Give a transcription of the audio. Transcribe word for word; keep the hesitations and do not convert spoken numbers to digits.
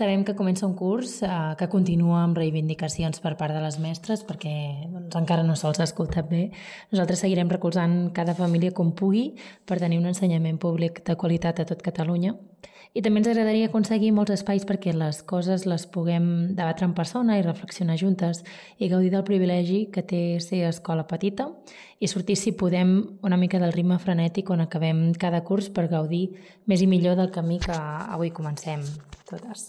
Sabem que comença un curs eh, que continua amb reivindicacions per part de les mestres perquè doncs, encara no se'ls ha escoltat bé. Nosaltres seguirem recolzant cada família com pugui per tenir un ensenyament públic de qualitat a tot Catalunya. I també ens agradaria aconseguir molts espais perquè les coses les puguem debatre en persona i reflexionar juntes i gaudir del privilegi que té ser escola petita i sortir, si podem, una mica del ritme frenètic on acabem cada curs per gaudir més i millor del camí que avui comencem totes.